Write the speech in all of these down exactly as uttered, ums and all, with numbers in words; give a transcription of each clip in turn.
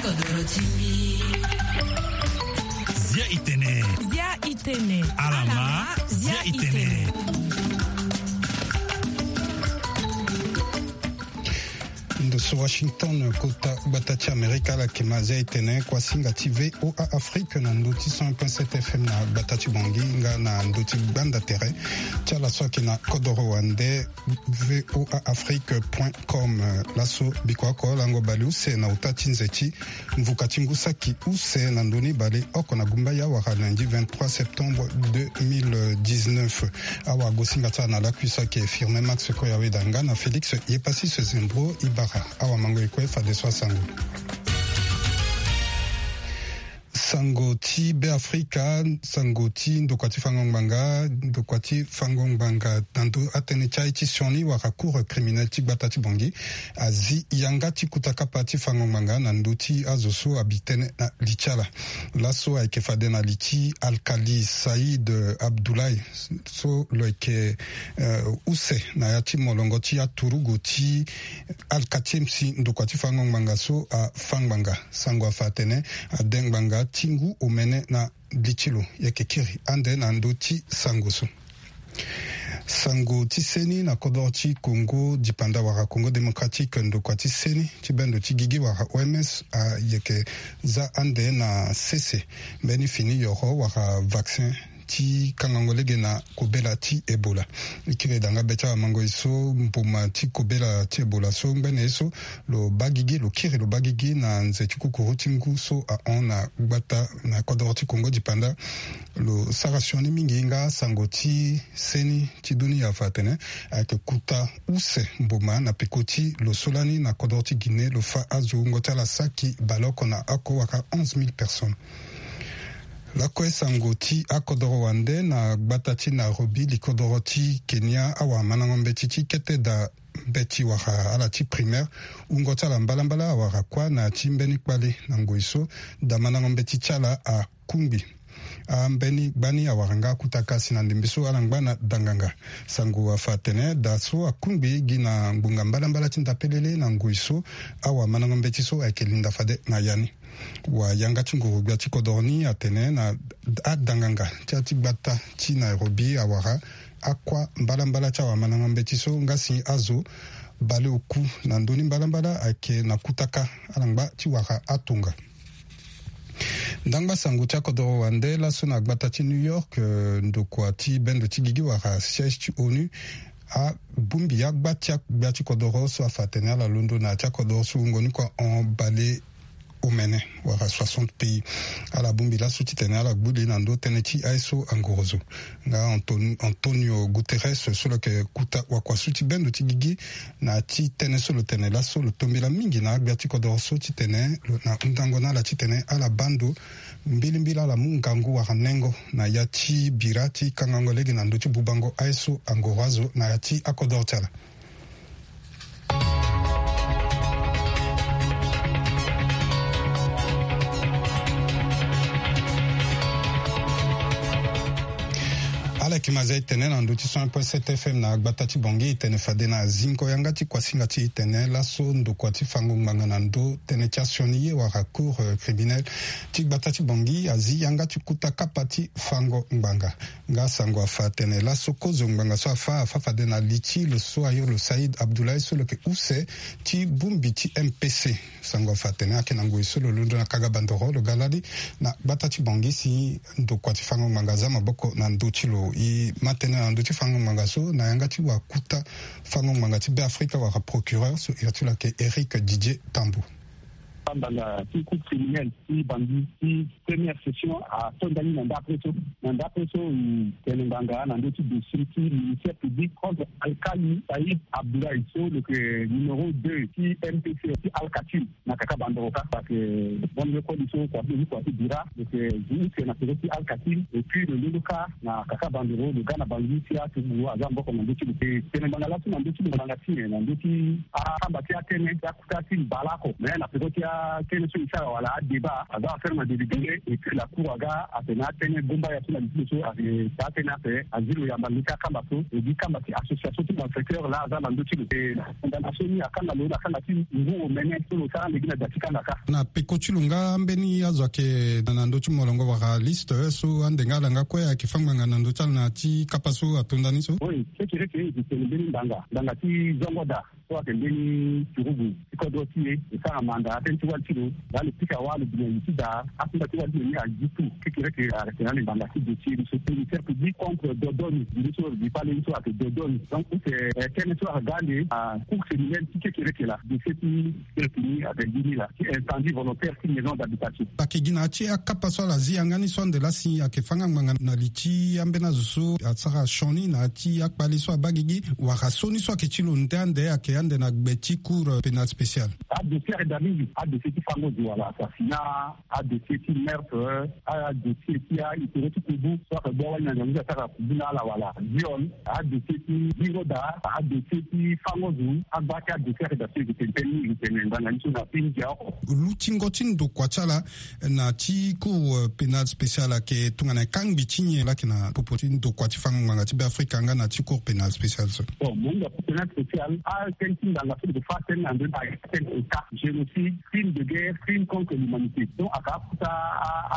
Zia itene. Zia itene. Alama. Zia itene. Ndo so Washington, kota gbata ti Amerika, ala yeke ma zia itene kuasinga ti V O A Afrique na ndo ti cent un point sept F M na gbata ti Bangui nga na ndo ti gbanda tere ti ala so ayeke na kodoro wande V O A Afrique point com. Laso biko oko lango baleuse na uta ti nze ti mvuka ti ngu saki use na ndoni baleoko na gumbaya wala lundi vingt-trois septembre deux mille dix-neuf. Awagosinga ti ala na lakui so ayeke Firmin Max Koyaweda nga na Félix Yepassis Zembro Ibarra. Awamango e kue fadeso asango. Sango ti Beafrika, sango ti ndokua ti fango ngbanga, ndokua ti fango ngbanga na ndo atënë ti aye ti sioni wala cour criminel ti gbata ti Bangui azi yanga ti kuta kapa ti fango ngbanga na ndo ti azo so abi tënë na li ti ala. Laso ayeke fade na li ti Alkali Saïd Abdoulaye so lo yeke, eh, use na ya ti molongo ti aturugu ti Alkatiemsi, ndokua ti fango ngbanga so afa ngbanga. Sango afa atene ade ngbanga ti ngu omene na li ti lo. Yeke kiri ande na ndö ti sango so. Sango ti seni na kodoro ti Congo dipanda wala Congo Démocratique, ndokua ti seni ti bendo ti gigi wala O M S ayeke za ande na sese mbeni fini yoro wala vaccin ti kangango lege na kobela ti Ebola. E kiri daa nga be ti awamango e so mboma ti kobela ti Ebola so ngbene ye so lo baa gigi, lo kiri lo baa gigi na nze ti kukuru ti ngu so ahon na gbata na kodoro ti Congo dipanda. Lo sara sioni mingi nga sango ti seni ti dunia afa atene ayeke kuta use mboma na peko ti lo so lani na kodoro ti Guinée lo fa azo wungo ti ala saki baleoko na oko wala onze mille personnes. Lakue sango ti akodoro wande na gbata ti Nairobi, likodoro ti Kenya, awamandango mbeti ti kete daa mbeti wala ala ti primaire, wungo ti ala mbalambala awara kuâ na ya ti mbeni kpale. Na ngoi so, daa mandango mbeti ti ala akungbi. Ambeni gbani awara nga akutaka si na ndembe so ala ngba na danganga. Sango afa atene daa so akungbi gi na ngbonga mbalambala ti ndapelele na ngoi so, awamandango mbeti so ayeke linda fade na ya ni. Wayanga ti nguru-gbia ti kodoro ni atene na adanganga ti ya ti gbata ti Nairobi awara akuâ mbalambala ti awamandango mbeti so nga si azo baleoku na ndö ni mbalambala ayeke na kutaka ala ngba ti wara atonga. Ndangba sango ti akodoro wande laso na gbata ti New York, eh, ndokua ti bendo ti gigi wala siège ti onu abongbi agba ti agbia ti kodoro so afa atene ala londo na ya ti akodoro so wungo ni kue ahon bale omene wala soixante pays. Ala bongbi laso titene ala gbu li na ndö tënë ti aye so angorozo. Nga Anton-, Antonio Guterres so lo yeke kuta wakua so ti bendo ti gigi na ya ti tënë so lo tene laso lo tombela mingi na agbia ti kodoro so titene lo na hundango na ala titene ala baa ndo mbilimbili ala mu ngangu wala nengo na ya ti bira ti kangango lege na ndö ti bubango aye so angoro azo na ya ti akodoro ti ala. Ala yeke ma zia e tene na ndö ti cent un point sept F M na gbata ti Bangui, e tene fade na zingo yanga ti kuasinga ti e tene laso ndokua ti fango ngbanga na ndö tënë ti asioni ye wala cour, euh, criminel ti gbata ti Bangui azi yanga ti kuta kapa ti fango ngbanga. Nga sango afa atene laso kozo ngbanga so afa, afa fade na li ti lo so ayo lo Saïd Abdoulaye so lo yeke use ti bongbi ti M P C. Sango afa atene ayeke na ngoi so lo londo na kaga bandoro lo ga lali na gbata ti Bangui si ndokua ti fango ngbanga aza maboko na ndö ti lo. E ma tënë na ndö ti fango ngbanga so na yanga ti wakuta fango ngbanga ti Beafrika wala procureur so iri ti lo ayeke Éric Didier Tambou. Fango ngbanga ti cour criminelle ti Bangui ti première session atonda ni na ndapre so. Na ndapre so, e tene ngbanga na ndö ti dossier ti ministère public contre Alkali Saïd Abdoulaye so lo yeke numéro deux ti M P C ti Alkatiri na kaka bandoro kâ. Parce que bon, le koli so kua ti, kua ti bira lo yeke zi use na peko ti Alkatiri, et puis lo londo kâ na kaka bandoro, lo ga na Bangui si aturugu aza maboko na ndö ti lo. E tene ngbanga laso na ndö ti lo ngbanga ti nyen? Na ndö ti akamba ti atënë ti akuta ti mbala oko, mais na peko ti a atënë so e sara wala adébat aza affaire na délibéré. Et puis la cour aga atene atënë gomba ya so na lisi lo so ake taa tënë ape azi lo yamba leke akamba so. E gi kamba ti association ti malfaiteur laa aza na ndö ti lo. E na condamnation ni akanga lo na kanga ti ngu omene so lo sara ande gi na da ti kanga kâ. Na peko ti lo nga mbeni azo ayeke na ndö ti molongo wala liste so ande nga ala nga kue ayeke fâ ngbanga na ndö ti ala na ya ti kapa so atonda ni so? Oui, kekereke e tene mbeni ngbanga ngbanga ti zongo daa so ayeke mbeni turugu ti kodro ti e. E sara manda atënë ti wali ti lo. Laa lo pika wâ lo bi na li ti daa akunda ti wali ti lo ni azi tout. Kekereke ayeke na ali ngbanga ti dossier ni so ministère public contre dodoni. Bi ni so bi pale ni so ayeke dodoni. Donc use tënë so aga ande na cour criminelle ti kekereke laa dossier ti kekereke ni ayeke gi ni laa ti incendie volontaire ti maison d'habitation. Ayeke gi na ya ti akapa so ala zi yanga ni so ande laa si ayeke fâ nga ngbanga na li ti ambeni azo so asara sioni na ya ti akpale so abaa gigi wala so ni so ayeke ti lo nde ande ayeke ande na gbe ti cour pénale spéciale? Adossier ayeke daa mingi. Adossier ti fango zo wala assassinat, adossier ti meurtre, adossier ti ahistoire ti kubu so ayeke gbu awali na ngangu ti asara kubu na ala wala viol, adossier ti zingo daa, adossier ti fango zo. Agba ti adossier ayeke daa so e yeke tene tënë mingi, e yeke tene ngbanga ni so na ti ndia oko. Lutingo ti ndokua ti ala na ti cour pénale spéciale ayeke tongana kangbi ti nyen laa ayeke na popo ti ndokua ti fango ngbanga ti Beafrika nga na ti cour pénale spéciale so? Bon, mo hinga cour pénale spéciale atënë ti ngbanga so lo yeke fâ tënë na ndö ni ayeke tënë état génocide, crime de guerre, crime contre l'humanité. Donc aka akota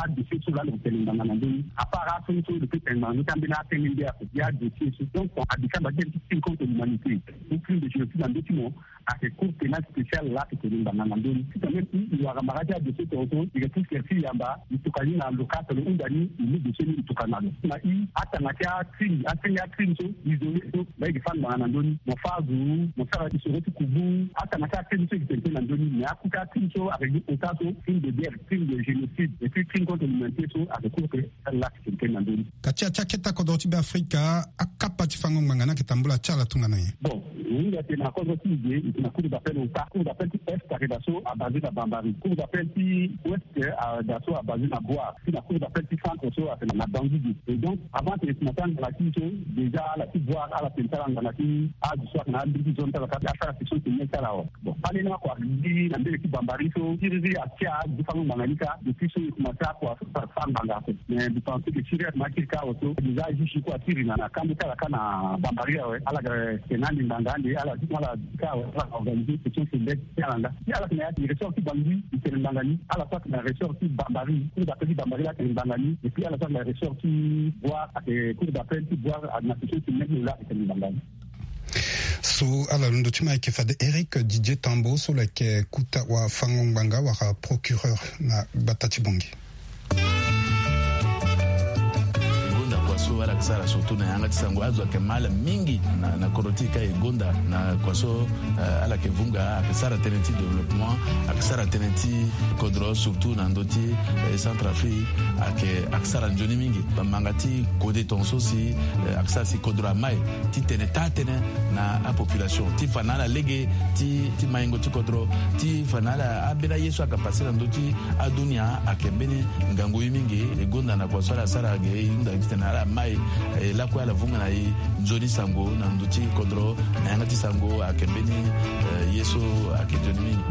adossier so laa lo yeke tene ngbanga na ndö ni. Apart aso ni so lo peut tene ngbanga ni ti ambeni atënë nde ape gi adossier so. Donc abika mba tënë ti crime contre l'humanité ou crime de génocide na ndö ti mo, ayeke cour pénale spéciale laa ayeke tene ngbanga na ndö ni. Ti tene même si e wara mara ti adossier tongaso e yeke ti sere ti yamba e tokua ni na lo kâ so lo hunda ni e mu dossier ni e tokua na lo. Na i atanga ti acrime, atënë ti acrime so isolé so laa e yeke fâ ngbanga na ndö ni. Mo fâ azo, mo sara isoro ti kubu, atanga ti acrime so e yeke tene tënë na ndö ni. Mais akota acrime so ayeke gi ota so crime de guerre, crime de génocide et puis crime contre l'humanité so ayeke cour pénale laa ayeke tene tënë na ndö ni. Ka ti ya ti akete kodro ti Beafrika, akapa ti fango ngbanga ni ayeke tambula ti ala tongana nyen? Bon, e hinga tene na kodro ti e ge e yeke na cour d'appel ota. Cour d'appel ti est ayeke daa so abasé na Bambari. Cour d'appel ti ouest ayeke daa so abasé na Bouar. Ti na cour d'appel ti centre so ayeke na Bangui ge. Et donc avant tene e kuma ti anganga ti e so, déjà ala ti Bouar ala tene ti ala anganga ti azo so ayeke na alingbi ti zone ti ala kâ ti asara section criminelle ti ala awe. Bon, kpale ni oko agbi na mbege ti Bambari so siriri atia gi fango ngbanga ni kâ. Depuis so e kuma ti akua so fâ ngbanga ape. Mais mbi pense que siriri ayeke ma akiri kâ awe so déjà ajuge kue asiri na na kando ti ala kâ na Bambari awe. Ala yeke tene ande ngbanga ande ala zi ala zi kâ awe ala organisé section criminelle ti ala nga. Si ala yeke na ya ti ressort ti Bangui e tene ngbanga ni. Ala so ayeke na ressort ti Bambari, cour d'appel ti Bambari laa atene ngbanga ni. Et puis ala so ayeke na ressort ti Bouar ayeke cour d'appel ti Bouar na section criminelle ti lo laa atene ngbanga ni. So ala londo ti ma ayeke fade Eric Didier Tambo so lo yeke kota wafango ngbanga wala procureur na gbata ti Bangui. E gonda kua so ala yeke sara surtout na yanga ti sango azo ayeke ma ala mingi na, na kodro ti e ka e gonda na kua so, eh, ala yeke vunga ayeke sara tënë ti développement, ayeke sara tënë ti kodro surtout na ndö ti, eh, Centrafrique ayeke, ayeke sara nzoni mingi. Bamanga ti kode tongaso si, eh, ayeke sara si kodro amai ti tene taa tënë na apopulation ti fa na ala lege ti, ti maingo ti kodro, ti fa na ala ambeni aye so ayeke pase na ndö ti adunia ayeke mbeni ngangu ye mingi. E gonda na kua so ala sara ge e hunda titene ala mai, eh, lakue ala vunga na e nzoni sango na ndö ti kodro na yanga ti sango ayeke mbeni, eh, ye so ayeke nzoni mingi.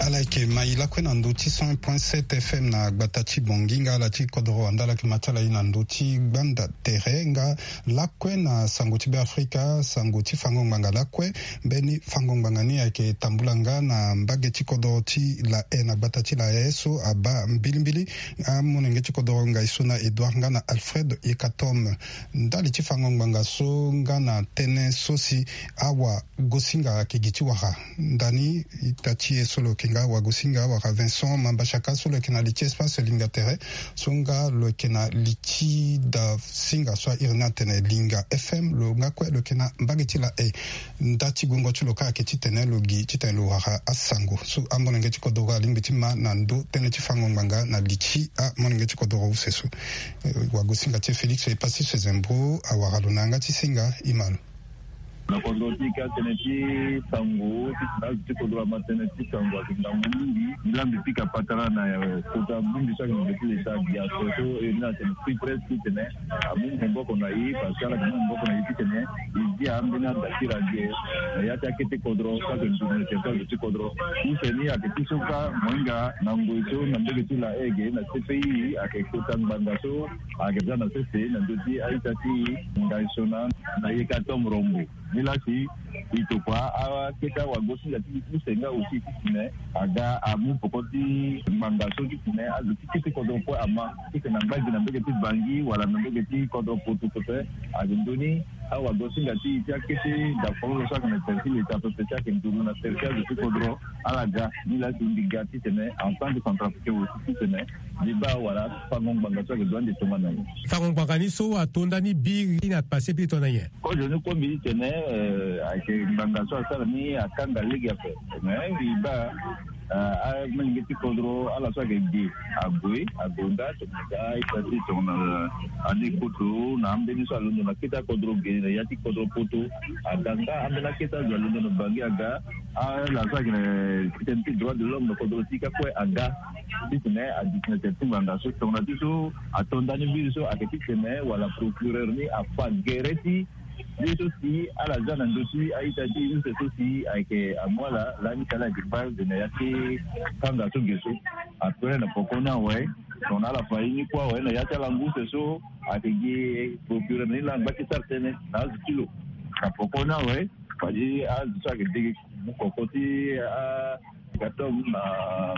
Ala yeke ma e lakue na ndö ti cent point sept F M na gbata ti Bangui nga ala ti kodro wande ala yeke ma ti ala ye na ndö ti gbanda tere nga lakue na sango ti Beafrika, sango ti fango ngbanga lakue. Mbeni fango ngbanga ni ayeke tambula nga na mbage ti kodro ti La Haye na gbata ti La Haye so abaa mbilimbili amolenge ti kodro ngai so na Edouard nga na Alfred Yekatom. Ndali ti fango ngbanga so nga na tënë so si awagosinga ayeke gi ti wara. Ndani ita ti e so lo yeke nga awagosinga wala Vincent Mambashaka so lo yeke na li ti espace Linga Tere so nga lo yeke na li ti da singa so airi ni atene Linga F M lo nga kue lo yeke na mbage ti La Haye. Nda ti guengo ti lo kâ ayeke titene lo gi titene lo wara asango so amolenge ti kodoro alingbi ti ma na ndö tënë ti fango ngbanga na li ti amolenge ti kodoro use so. Eh, wagosinga ti e Félix Epassi Sezembro awara lo na yanga ti singa e ma lo. Na kodro ti ka tene ti sango ti tene azo ti kodro ama tene ti sango ayeke ngangu mingi. Nzambi pika patara na kota bongbi so ayeke na be ti leta biaso so e ni atene free press ti tene amu maboko na e parce que ala yeke mu maboko na e ti tene e dia ambeni adakiri ague na ya ti akete kodro so ayeke nzoni na territoire ti kodro. Use ni ayeke ti so ka mohinga na ngoi so na mbege ti la ege na C P I ayeke kota ngbanga so ayeke za na sese na ndö ti a-ita ti ngai so na na yeka tombe rombo. Ni laa si e tokua akete awagosinga ti use nga aussi ti tene aga amu poko ti ngbanga so ti tene azo ti kete kodro kue ama ti tene angba gi na mbege ti Bangui wala na mbege ti kodro poto pepe. Ayeke ndoni awagosinga ti e ti akete dafololo so ayeke na tere ti leta pepe ti ayeke nduru na tere ti azo ti kodro ala ga. Ni laa si mbi ga ti tene en tant que centrafricain aussi ti tene mbi baa wala fango ngbanga so ayeke dua ande tongana nyen. Fango ngbanga ni so ato nda ni biri na pase biri tongana nyen? Kozo ni kue mbi ti tene eh, ayeke ngbanga so asara ni akanga lege ape. Mais mbi baa ah, amolenge ti kodro ala so ayeke ge ague agonda tongana ga ita ti tongana ande koto na ambeni so alondo na kete akodro ge na ya ti kodro poto. Aga nga ambeni akete azo alondo na Bangui aga ala so ayeke na titene ti droit de l'homme na kodro ti ka kue aga ti tene adiki na tere ti ngbanga so tongana ti so ato nda ni mbiri so ayeke ti tene wala procureur ni afa gere ti ye so si ala za na ndö ti a-ita ti use so si ayeke amu ala lani si ala yeke kpale na ya ti kanga so ge so. Après na poko ni awe tongana ala fa ye ni kue awe na ya ti ala ngu use so ayeke gi procureur ni laa angba ti sara tënë na azo ti lo. Na poko ni awe fade azo so ayeke dege mu koko ti a Katom na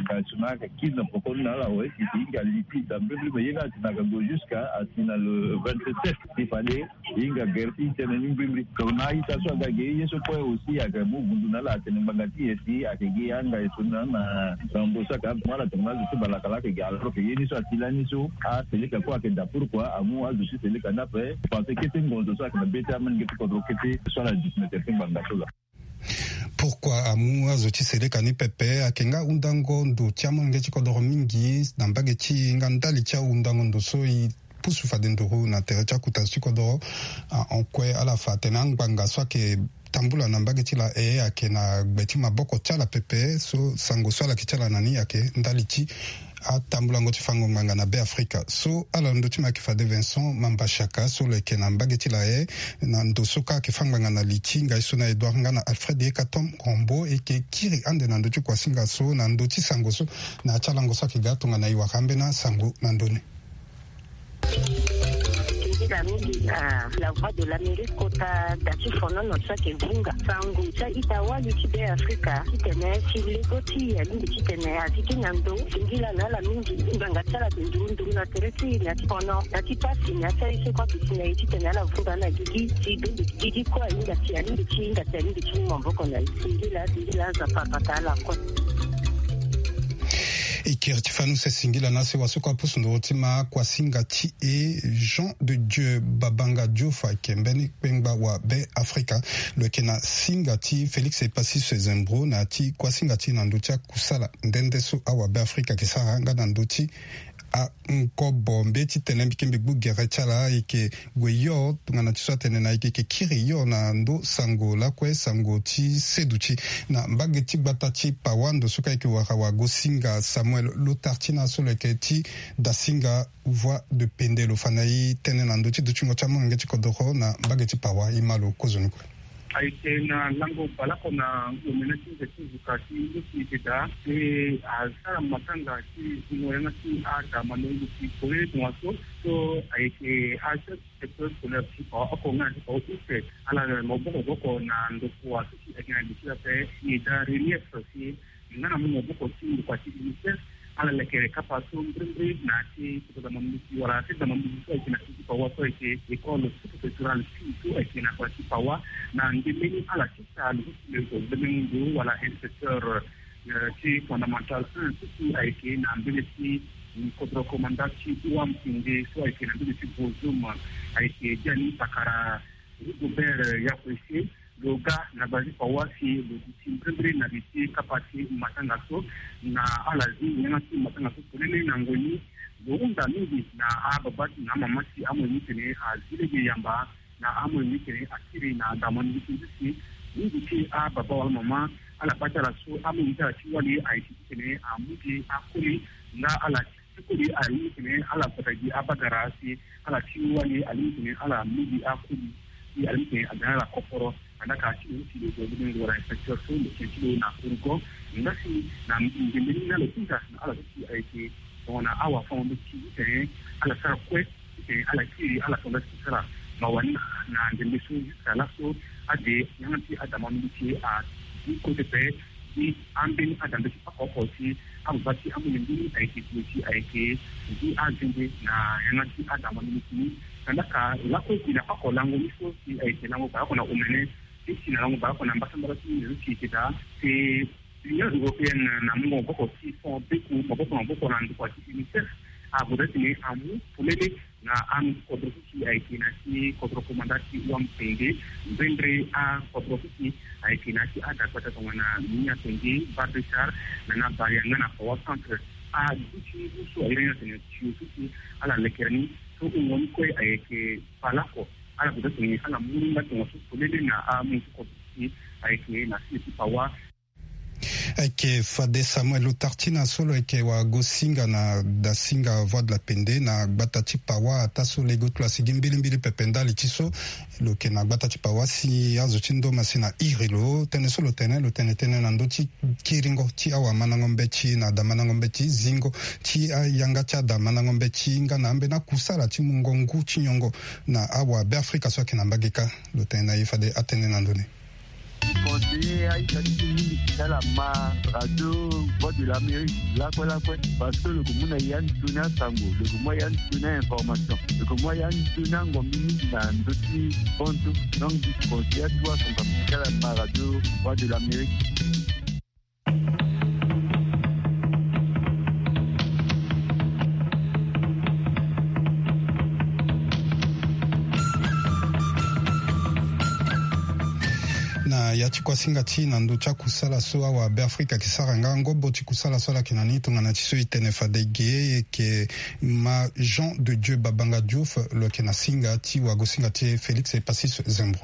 ngai so na ayeke kiri na poko ni na ala awe si si hinga li ti da mbrimbri me ye ni asi na aga gue jusqu'à asi na le vingt-sept si fade hinga gere ti tene ni mbrimbri. Donc na a-ita so aga ge ye so kue aussi ayeke mu vundu na ala atene ngbanga ti e si ayeke gi angai so na na rambo so ayeke amu ala tongana azo ti balaka laa ayeke gi alors que ye ni so asi lani so aseleka kue ayeke da pourquoi amu azo ti seleka ni ape. Parce que kete ngonzo so ayeke na be ti amolenge ti kodro kete so ala duti na tere ti ngbanga so laa. Pourquoi amu azo ti seleka ni pepe? Ayeke nga ahundango ndo ti amolenge ti kodoro mingi na mbage ti e nga ndali ti ahundango ndo so e pusu fade nduru na tere ti akota zo ti kodoro. Ah, en kue ala fa atene angbanga so ayeke tambula na mbage ti la e ayeke na gbe ti maboko ti ala pepe so sango so ala yeke ti ala na ni ayeke ndali ti atambulango ti fango ngbanga na Be Afrika. So ala ndo ti ma yeke fade Vincent Mambashaka so lo yeke na mbage ti la e na ndo so ka ayeke fa ngbanga na li ti ngai so na Edouard nga na Alfred Yekatom Rombo e yeke kiri ande na ndö ti kuasinga so na ndö ti sango so na ya ti alango so ayeke ga tongana e wara ambeni asango na ndö ni. Tongila mingi na La Voix de l'Amérique kota da ti fonono so ayeke vunga sango ti a-ita wali ti Be Afrika titene si lego ti e alingbi titene azi gi na ndo. Tongila na ala mingi ngbanga ti ala ayeke nduru nduru na tere ti e na ya ti fono na ya ti pasi na ya ti aye so kue aduti na e titene ala vunga ala gigi si bembe gigi kue ahinga si alingbi ti hinga si alingbi ti mu maboko na e. Tongila tongila aza papa ta ala kue. E kiri ti fani use singila na sewa so kue apusu nduru ti ma kuasinga ti e Jean de Dieu Babanga Diouf ayeke mbeni kpengba wa Be Afrika. Lo yeke na singa ti Félix Epassis Sezembro na ya ti kuasinga ti e na ndö ti akusala nde nde so awa Be Afrika ayeke sara nga na ndö ti angobo mbe ti tene mbi ke mbi gbu gere ti ala ayeke gue yo tongana ti so atene na e yeke kiri yo na ndo sango lakue sango ti seduti na mbage ti gbata ti Pawa ndo so ka e yeke wara wagosinga Samuel Lotartina so lo yeke ti dasinga Voix de Pende. Lo fa na e tënë na ndö ti dutingo ti amolenge ti kodoro na mbage ti Pawa. E ma lo kozoni kue. Ayeke na lango baleoko na omene ti nze ti nzuka ti nduti eke daa si asara matanga ti zingo yanga ti ada malongo ti polele tongaso so ayeke a chef du secteur scolaire ti Pawa oko nga na ti Pawa use ala maboko boko na ndokua so si ayeke na li ti ape ni daa relief si nga na mu maboko ti ndokua ti UNICEF ala lekere kapa so mbrimbri na ya ti kota dama mbisi wala ya ti dama mbisi so ayeke na ti Pawa so ayeke école sous-préfectorale sud so ayeke na kota ti Pawa na ndemeni ala ti Saalum, le, le, le, wala inspecteur, euh, ti fondamental un so si ayeke na mbele ti, mm, kodro komanda ti Ouam Pinde so ayeke na mbele ti Bozoum, ayeke biani pakara Rigobert, euh, Yakwese, lo ga na bale ti Pawa si lo duti mbrimbri na li ti kapa ti matanga so na ala zi yanga ti matanga so polele na ngoi ni. Lo hunda mingi na ababa ti na amama ti amoyo ni tene azi lege yamba Na amoyenge titene akiri na adama ni ti nzisi. Mingi ti ababa wala mama ala baa ti ala so amoyenge ti ala ti wali ayeke titene amu gi akoli nga ala ti koli alingbi titene ala gbata gi abagara si ala ti wali alingbi titene ala mu gi akoli. Si alingbi titene aga na ala kokoro. Andaka ti lo ti lo zo ndenge wala inspecteur so lo tene ti lo na fourgon. Nga si na ndembe ni na lo hinga na ala so si ayeke tongana awafango-nde ti titene ala sara kue. Titene ala kiri ala tonga ti sara mawa ni na ndembe so jusqu'à laso ade yanga ti adama mingi ti a ti kote pe ti ambeni adambe ti oko oko ti ababa ti amolenge ni ayeke gue ti ayeke ngu azende na yanga ti adama mingi ti ni. Tandaka lakue gi na oko lango ni so si ayeke lango baleoko na omene ti si na lango baleoko na mbasambala ti ni zo ti yeke daa. Te L'Union européenne na mungo maboko ti fond beku maboko na maboko na ndokua ti UNICEF ague daa titene amu polele na akodro so si ayeke na ti kodro komanda ti Wam Pende. Mbendre akodro so si ayeke na ti adagbata tongana Minia Pende, Babesar, na na Baria nga na Pawa Centre. Aduti ngu so ayeke ni atene tio so si ala lekere ni so wungo ni kue ayeke palako. Ala gue daa titene ala mu ni nga tongaso polele na amu ti kodro so si ayeke na sini ti Pawa. Ayeke fade Samuel Otartina so lo yeke wagosinga na dasinga Voix de la Pende na gbata ti Pawa ataa so lege oti lo asi gi mbilimbili pepe ndali ti so lo yeke na gbata ti Pawa si azo ti ndoma si na iri lo tënë so lo tene lo tene tënë na ndö ti kiringo ti awamandango mbeti na damandango mbeti zingo ti ayanga ti adamandango mbeti nga na ambeni akusala ti mungo ngu ti nyongo na awabeafrika so ayeke na mbage kâ. Lo tene na e fade atënë na ndö ni. Conseiller aita ti mingi ti ala ma radio Voix de l'Amérique lakue lakue, parce que lo ko mu na ya nzoni asango, lo ko mu ya nzoni ainformation, lo ko mu ya nzoni angombi mingi na ndö ti bonzo. Donc du conseiller atu asango ti ala ma radio Voix de l'Amérique. Na ya ti kuasinga ti na ndö ti akusala so awabeafrika ayeke sara nga ngobo ti kusala so ala yeke na ni tongana ti so e tene fade ge e yeke ma Jean de Dieu Babanga Diouf lo yeke na singa ti wagosinga ti e Félix Epasis Zembro.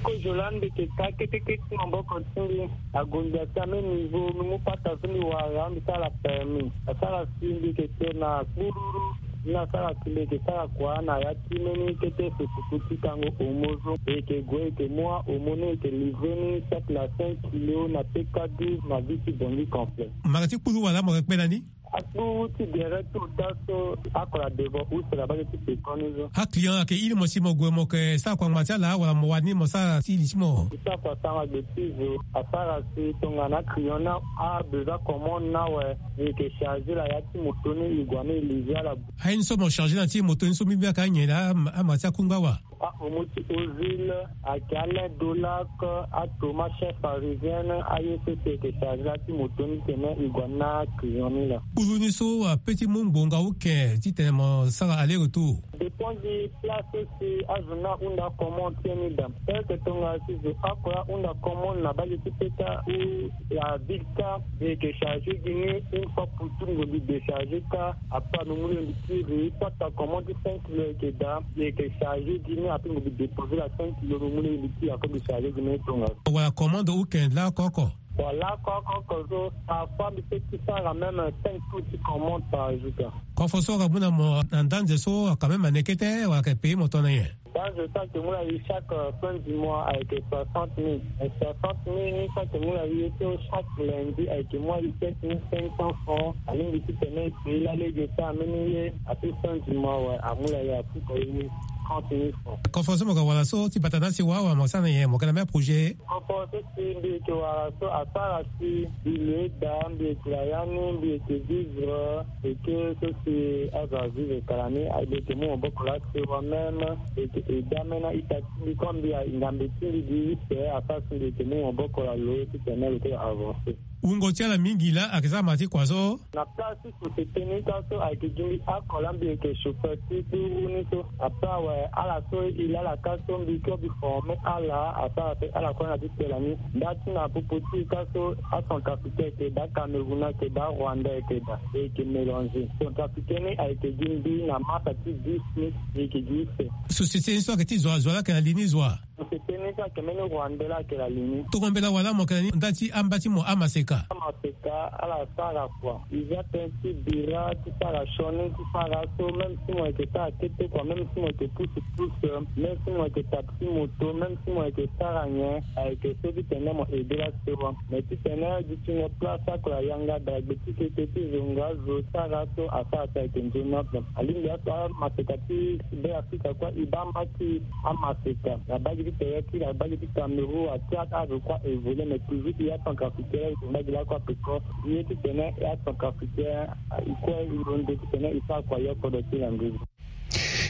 Kozo laa mbi yeke ka kete kete ti maboko ti mbi. Ague mbi asi ambeni niveau mbi mu pata so mbi wara mbi sara permis asara si mbi yeke te na kpururu. Ni asara si mbi yeke sara kua na ya ti mbeni kete fufuku ti kango homo so e yeke gue e yeke mu ahomo ni e yeke livrer ni chaque na cinq kilo na P K douze na vie ti Bangui complet. Mara ti kpuru wala mo yeke kpe na ni? Akpuru ti gere ti ota so ako na devant use na bage ti pekoni so. Aclient ayeke iri mo si mo gue mo yeke sara kua ngba ti ala wala mo wani mo sara ti li ti mo? Ti sara kua sara gbe ti zo asara si tongana aclient ni abesoin commande ni awe, e yeke charger la ya ti moto ni e gue ni e livrer ala. Aye ni so mo charger na ti moto ni so mbi mbi ayeke anyen laa ama ti akungba wa? Ahomo ti Ozil ayeke Alain Dolac, atoma chef parisien, aye so si e yeke charger la ti moto ni titene e gue na aclient ni laa. Kpuru ni so ape ti mu ngbonga uke titene mo sara aller retour? Dépend di place so si azo ni ahunda commande ti e ni daa. Eke tongana si zo oko ahunda commande na bage ti peta ou la ville kâ, e yeke charger gi ni une fois pour toute, ngbongi décharger kâ. Après lo mu lo e mbi ti ri, soit ta commande ti cinq kilo e yeke daa, e yeke charger gi ni, après ngbongi déposer la cinq kilo lo mu lo e mbi ti ri, après mbi charger gi ni tongaso. Wala commande weekend laa oko oko? Wala oko oko so parfois mbi peut ti sara même cinq tours ti commande par jour kâ. Kofo so aka mu na mo na ndanze so aka même ane kete wala aka payer mo tongana nyen? Ndanze so ake mu na e chaque fin du mois ayeke soixante mille. Soixante mille ni so ake mu na e so chaque lundi ayeke mu na e sept mille cinq cents francs. Alingbi titene e payer lalege so ameni ye, ape fin du mois awe amu na e apuka e trente mille francs. Kofo so mo ga wala so ti bata na si wa wa mo sara na nyen, mo ga na même projet? Kofo so si mbi yeke wara so asara si mbi lo eda, mbi yeke na ya ni, mbi yeke vivre eke so si azo avivre kala ni, mbi yeke mu maboko laa sewa même, mbi yeke eda même na ita ti mbi comme mbi a ngambe ti mbi gi use asara si mbi yeke mu maboko na lo titene lo kue avancer. Wungo ti ala mingi laa ayeke za ma ti kua so. Na place ti société ni ka so ayeke gi mbi akua laa mbi yeke chauffeur ti kpuru ni so. Après awe, ala so e le ala ka so mbi kue mbi forme ala, asara pe ala kue na ti tela ni. Nda ti na popo ti e ka so acentrafricain ayeke daa, cameroun ayeke daa, rwandais ayeke daa, e yeke mélanger. Centrafricain ni ayeke gi mbi na marsa ti dix ni, e yeke gi use. Société ni so ayeke ti zo wa, zo wa laa ayeke na li ni zo wa? Société ni so ayeke mbeni rwandais laa ayeke na li ni. Tongo mbela wala mo yeke na ni nda ti amba ti mo amaseka? Amaseka ala sara kua. E za tënë ti bira, ti sara sioni, ti sara so, même si mo yeke sara kete kua, même si mo yeke pousse pousse, même si mo yeke taxi moto, même si mo yeke sara nyen, ayeke so titene mo aider la sewa. Mais titene dutingo place akua yanga daa gbe ti kete ti zonga zo sara so asara so ayeke nzoni ape. Alingbi aso amaseka ti Beafrika kue e baa mbaki amaseka na mbage ti Tchad, na mbage ti Cameroun, a Tchad, azo kue a évoluer, mais toujours e acentrafricain laa e yeke mbage laa kue ape ko. E ye titene e acentrafricain e kue e londo titene e sara kua yo kodro ti landuzu.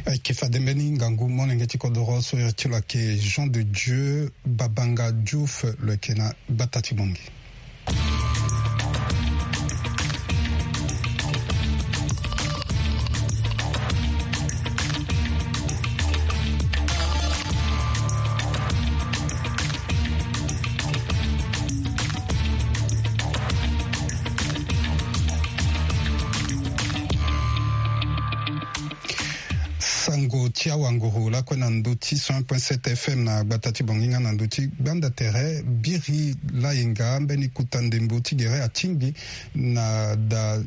Ayeke fade mbeni ngangu molenge ti kodoro so iri ti lo ayeke Jean de Dieu Babanga Diouf, lo yeke na gbata ti Bangui. Sango ti awanguru lakue na ndö ti cent un point sept F M na gbata ti Bangui nga na ndö ti gbanda tere. Biri Layenga, mbeni kota ndembo ti gere, atingbi na da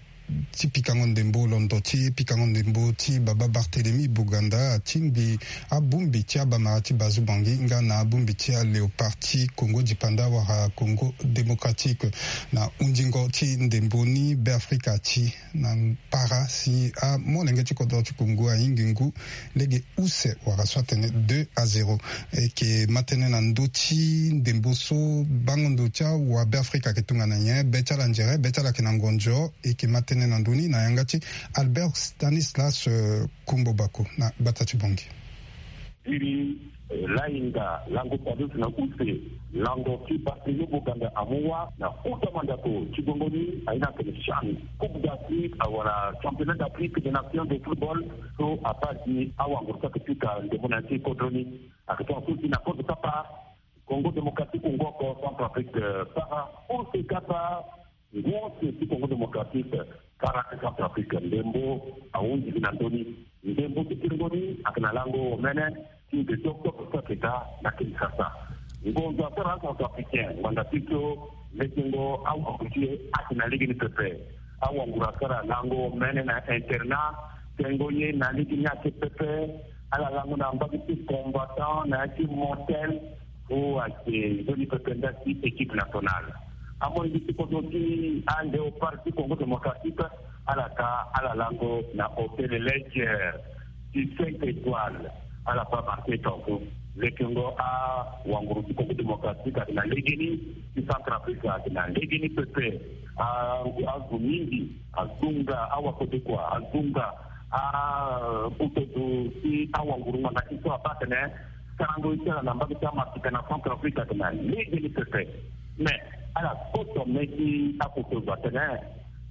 ti pikango ndembo, londo ti pikango ndembo ti baba Barthélemy Boganda, atingbi abongbi ti abamara ti Bazu Bangui nga na abongbi ti aléopard ti Congo Dipanda wala Congo Démocratique na hundingo ti ndembo ni. Beafrika ti na para si amolenge ti kodro ti Congo ahingi ngu lege use wala so atene deux à zéro. E yeke ma tënë na ndö ti ndembo so bango ndo ti awa Beafrika ayeke tongana nyen, be ti ala nzere, be ti ala ayeke na ngonzo. E yeke ma tënë na ndö ni na yanga ti Albert Stanislas, eh, Kumbo Bako na gbata ti Bangui. Biri, eh, Layenga, lango Padus na use, lango ti Barthélemy Boganda amu wâ na kota mandako ti gbongo ni, aye ni atene CHAN, Coupe d'Afrique, awala Championnat d'Afrique des Nations de football, so abaa gi awanguru so ayeke pika ndembo na ya ti kodro ni. Ayeke tongana so si na kota ti kapa Congo Démocratique, Congo oko, Centrafrique, eh, sara use kapa. Ngu use ti Congo Démocratique, sara ti Centrafrique, ndembo ahunzi gi na ndö ni. Ndembo ti kiringo ni ayeke na lango omene ti deux octobre so ayeke ga na Kinshasa. Ngonzo asara acentrafricain ngbanga ti so lekengo awanguru ti e ayeke na lege ni pepe. Awanguru asara lango omene na internat, tengo ye na lege ni ayeke pepe. Ala lango na mbage ti combattant na ya ti motel. Fo ayeke nzoni pepe nda ti équipe nationale. Amolenge ti kodro ti aléopard ti Congo Démocratique, ala ka ala lango na hôtel Ledger ti cinq étoiles. Ala baa marqué tongaso. Lekengo awanguru ti Congo Démocratique ayeke na legeni, ti Centrafrique ayeke na legeni pepe. A, azo mingi azonga awakodekua, azonga a, akotozo ti awanguru ngbanga ti so abaa atene sarango ye ti ala na mbage ti Amasika na Centrafrique ayeke na legeni pepe. Mais ala koto me ti akotozo atene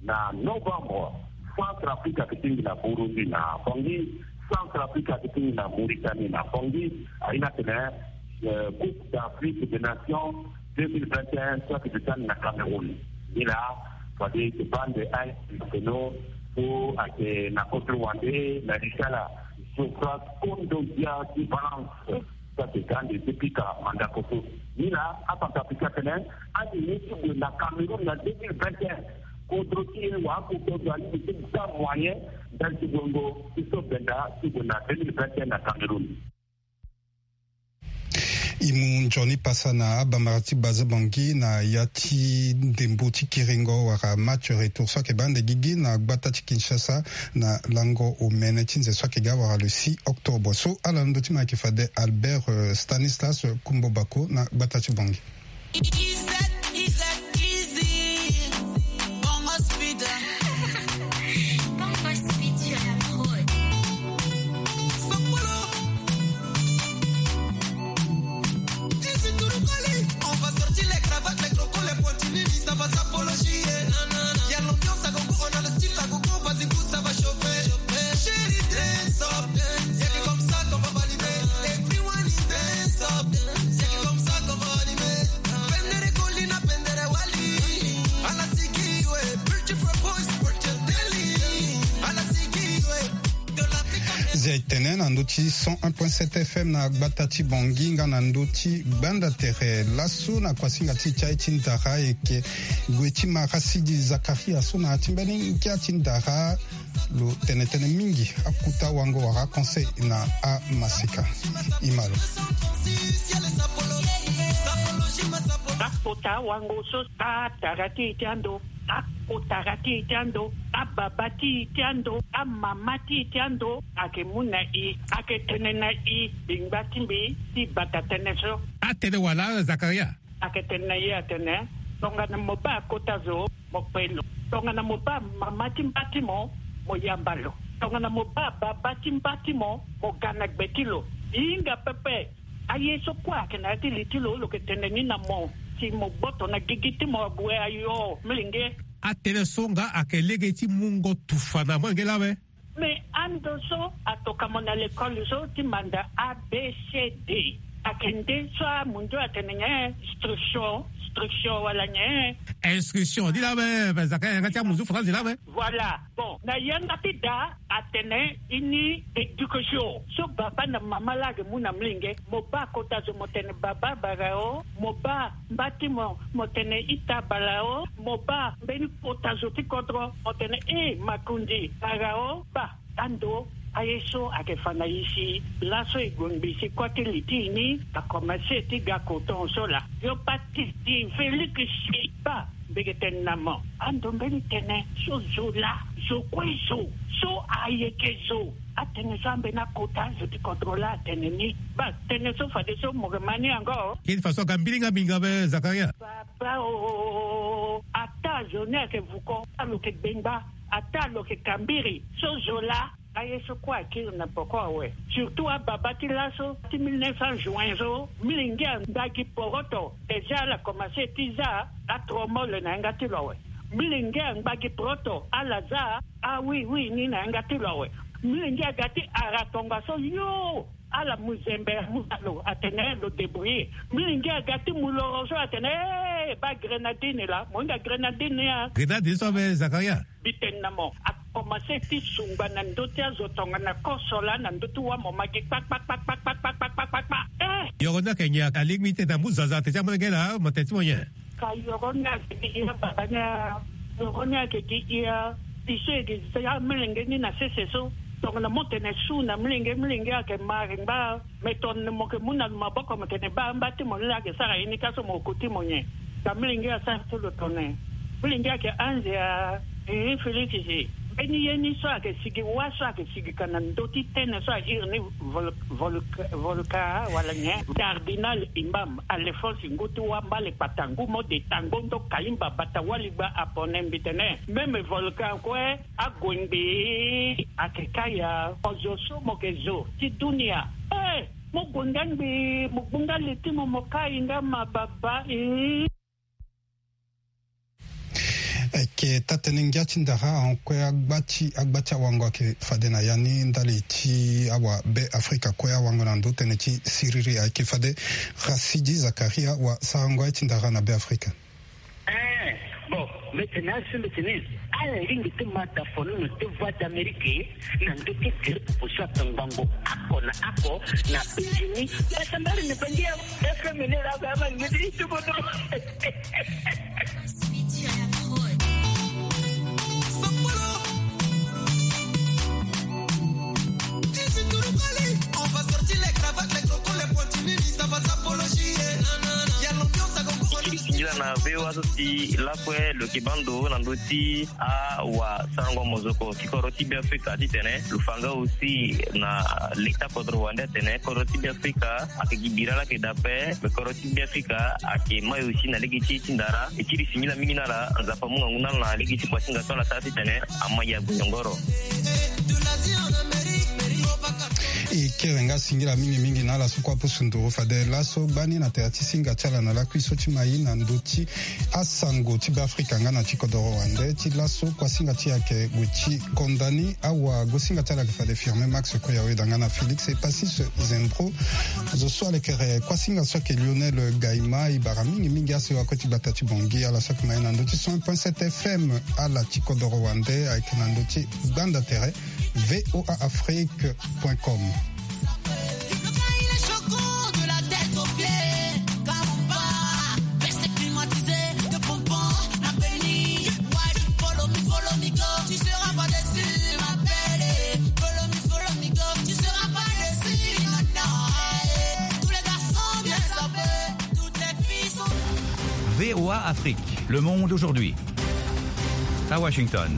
na novembre, Centrafrique ayeke tingbi na Burundi na Bangui, Centrafrique ayeke tingbi na Mauritanie na Bangui. Aye ni atene, eh, Coupe d'Afrique des Nations deux mille vingt et un so ayeke sani na Cameroun. Nilaa fade e baa ande aye ti mafeno so ayeke na kotoro wande na li ti ala, Geoffroy Kondogbia ti Valence, so ayeke ga ande ti pika mandako so. Nilaa aCentrafrique atene ande ye ti gue na Cameroun na deux mille vingt et un, kodro ti e wala akotozo alingbi ti ga moyen ndali ti gue ngo ti so benda ti gue na deux mille vingt et un na Cameroun. E mu nzoni pasa na abamara ti Baza Bangui na ya ti ndembo ti kiringo wala match retour so ayeke baa ande gigi na gbata ti Kinshasa na lango omene ti nze so ayeke ga wala le six octobre. So ala na ndö ti mo ayeke fade Albert, euh, Stanislas Kumbo Bako na gbata ti Bangui. Easy, easy, easy. Bongo speed. Bongo speed sur la prod. Sokolo. Easy to the calling. On va sortir les cravates, les crocos, les pointilles, ça va s'appeler. Zia etene na ndö ti cent un point sept F M na gbata ti Bangui nga na ndö ti Gbanda Tere. Laso na kuasinga ti e ti aye ti ndara ayeke gue ti Marasidi Zakaria so na ya ti mbeni ngia ti ndara. Lo tene tënë mingi akota wango wala aconseil na amaseka. Ima lo. Akota wango so atara ti e ti ando, akotara ti e ti ando, ababa ti e ti ando, amama ti e ti ando, ayeke mu na e, ayeke tene na e, bengba ti mbi ti bata tënë so. Atene wala Zakaria? Ayeke tene na e atene, tongana mo baa kota zo, mo kpe lo. Tongana mo baa mama ti mba ti mo, mo yamba lo. Tongana mo baa baba ti mba ti mo, mo ga na gbe ti lo. E hinga pepe. Aye so kue ayeke na ya ti li ti lo, lo yeke tene ni na mo, si mo gboto na gigi ti mo ague ayo, milenge. Atënë so nga ayeke lege ti mungo tufa na molenge laa awe. Me ando so atoka mo na lekole so ti manda A B C D. Ayeke nde so amundu atene nyen? Instruction, instruction wala nyen? Instruction, ni laa awe, me zaka yanga ti amunzu France laa awe. Voilà. Bon, na yanga ti da atene ini éducation. So baba na mama laa ayeke mu na molenge, mo baa kota zo mo tene baba bara o, mo baa mba ti mo, mo tene ita bara o, mo baa mbeni kota zo ti kodro, mo tene e makundi bara o, baa. Ando aye so ayeke fa na e si laso e gue ngbii si kua ti li ti e ni akomanse ti ga koton so laa. Yo pa ti di Félix si baa. Mbi yeke tene na mo, ando mbeni tënë so zo laa, zo kue zo, so ayeke zo. Atënë so ambeni akota zo ti kodro laa atene ni. Baa, tënë so fadeso mo yeke ma ni yango. Kini faso aga mbilinga mingi awe Zakaria. Baba o, ata zo ni ayeke vuko, ata lo yeke gbengba, ata lo yeke kambiri, so zo laa. Aye so kue akiri na poko awe. Surtout ababa ti laso ti mille neuf cents juin so, milenge angba gi poroto. Déjà ala komanse ti za atromole na yanga ti lo awe. Milenge angba gi poroto, ala za awiwi ni na yanga ti lo awe. Milenge aga ti ara tongaso yo, ala mu zembe amu na lo atene lo débrouiller. Milenge aga ti mu loro so atene, eh, baa grenadine laa, mo hinga grenadine ni a. Grenadine so awe Zakaria. Mbi tene na mo, akomanse ti sungba na ndö ti azo tongana koso laa na ndö ti wa mo ma gi kpakpakpakpakpakpakpakpakpakpa. Eh! Yoro ni ayeke nyen? Alingbi ti tene amu zaza tene ti amolenge laa mo tene ti mo nyen? Ka yoro ni ayeke gi ya baba ni a, yoro ni ayeke gi ya. Biso e gi za amolenge ni na sese so. Tongana mo tene su na molenge, molenge ayeke ma ayeke ngba. Me tongana mo yeke mu na lo maboko mo tene baa mba ti mo ni laa ayeke sara ye ni ka so mo ko ti mo nyen? Ka milenge asara ti lo tongana milenge ayeke anze a. Ee Félix si mbeni ye ni so ayeke sigi wa so ayeke sigi ka na ndö ti tënë so a iri ni vol- vol- volka wala nyen? Cardinal imam Alphonse ngu ti wa mbale kpata ngu mo de tango ndo kaimba bata waligba apone mbi tene même volcan kue. Ague ngbii ake kaya. Ozo so mo ke zo ti dunia. Eh, mo gue nga ngbii mo gbu nga li ti mo mo kai nga ma baba. Eh. Eke taa-tënë ngia ti ndara ahon kue agba ti agba ti awango ake fade na ya ni ndali ti awa be afrika kue awango na ndo tënë ti siriri ayeke fade. Rasidi zakaria wa sarango aye ti ndara na be afrika. Eh, bon, mbi tene asi mbi tene ala lingbi ti ma dafono na te voix d'amérique na ndö ti grippe so atongbango ako na ako na bejini. Basambari na bangi ya fm ni la ba ma ngedi itubono. Singila na voa so si lakue lo yeke baa ndo na ndö ti awasarango mozoko ti kodro ti beafrika titene lo fa nga aussi na leta kodro wande atene kodro ti beafrika ayeke gi bira laa ayeke daa ape. Me kodro ti beafrika ayeke mai aussi na lege ti e ti ndara. E ti li singila mingi na ala. Nzapa amu ngangu na ala na lege ti kuasinga so ala sara titene ama ya gonyongoro. E kere nga singila mingi mingi na ala so kue apusu nduru fade laso gbani na tere ti singa ti ala na lakui so ti mai na ndö ti asango ti beafrika nga na ti kodoro wande ti laso kuasinga ti e ayeke gue ti konda ni. Awa gosinga ti ala ayeke fade firme max koyawe danga na félix epasis zembro. Zo so alekere kuasinga so ayeke lionel gaima e bara mingi mingi asewa kue ti gbata ti bongi ala so ayeke mai na ndö ti cent point sept fm. Ala ti kodoro wande ayeke na ndö ti gbanda tere. V O A Afrique point com. V O A Afrique, le monde aujourd'hui. À Washington.